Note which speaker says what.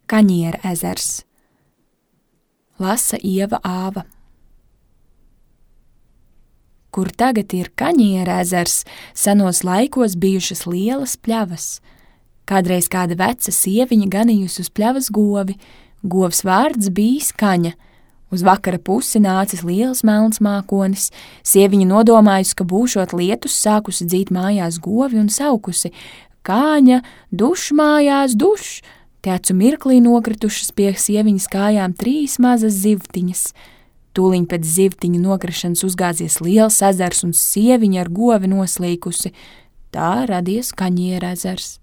Speaker 1: Kaņiera ezers. Lasa Ieva Āva. Kur tagad ir Kaņiera ezers, senos laikos bijušas lielas pļavas. Kādreiz kāda veca sieviņa ganījusi uz pļavas govi, govs vārds bijis Kaņa. Uz vakara pusi nācis liels melns mākonis, sieviņa nodomājusi, ka būšot lietus, sākusi dzīt mājās govi un saukusi: Kāņa, duš mājās, duš! Te acu mirklī nokritušas pie sieviņas kājām 3 mazas zivtiņas. Tūliņ pēc zivtiņu nokrišanas uzgāzies liels ezers un sieviņa ar govi noslīkusi. Tā radies Kaņiera ezers.